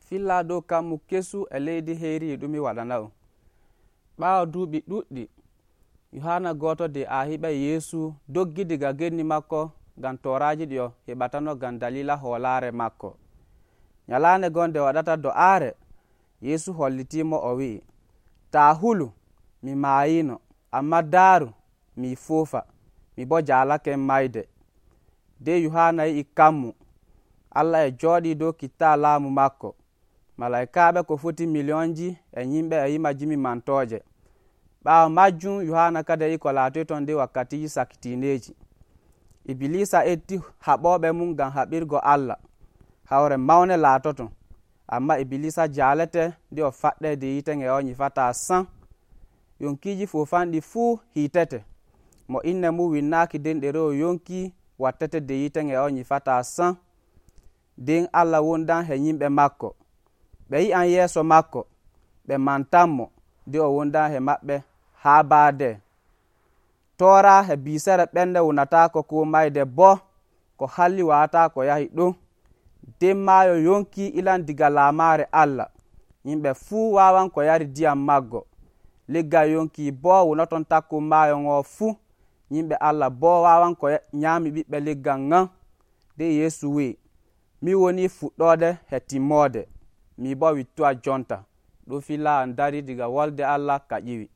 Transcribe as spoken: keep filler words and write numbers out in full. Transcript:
filla dow kammu kesu e leydi heyri e ɗum mi waɗana on. Ɓaawo duuɓi ɗuɗɗi Yohana gooto de a heɓai Yeesu doggi diga genni makko ngam tooraaji ɗi o heɓatano ngam dalila hoolaare makko. Nyalaande gon nde waɗata do'aare Yeesu hollitiimo o wi'i, taa hulu mi maayiino, amma daaru mi foofa, mi bo jaalaken mayde. Nden Yohana yi'i kammu Allah e jooɗii dow kittaa laamu makko. Malaykaaɓe ko foti miliyonji e yimɓe e yima jimi mantooje. Ɓaawo majjum Yohana kadi yi'i ko laatoyton nder wakkatiiji sakitiineeji. Ibilisa etti haɓooɓe mum ngam haɓirgo Allah. Hawre mawne laatoton, amma Ibilisa jaalete nde o faɗɗay de yiiten e o nyifataa san. Yonkiiji foofanɗi fuu hiitete, mo inne mum winnaaki nden ɗerewol yonki wattete de yiiten e o nyifataa san. Nden Allah wondan he yimɓe makko. Ɓe yi'an yeeso makko, ɓe mantanmo nde o wondan he maɓɓe haa baade. Toora he biisere ɓernde wonataako ko mayde boo ko halli wawataa ko yahi ɗon. Nden maayo yonki ilan diga laamaare Allah. Yimɓe fuu waawan ko yari ndiyam maggo. Leggal yonki boo wonoton takko maayo ngo fuu. Yimɓe Allah boo waawan ko nyaami ɓiɓɓe leggal ngan. Nde Yeesu wi'i, mi woni fuɗɗoode he timmoode, mi boo wittuwa jonta. Ɗum filla an dari diga wolde Allah ka ƴiwi.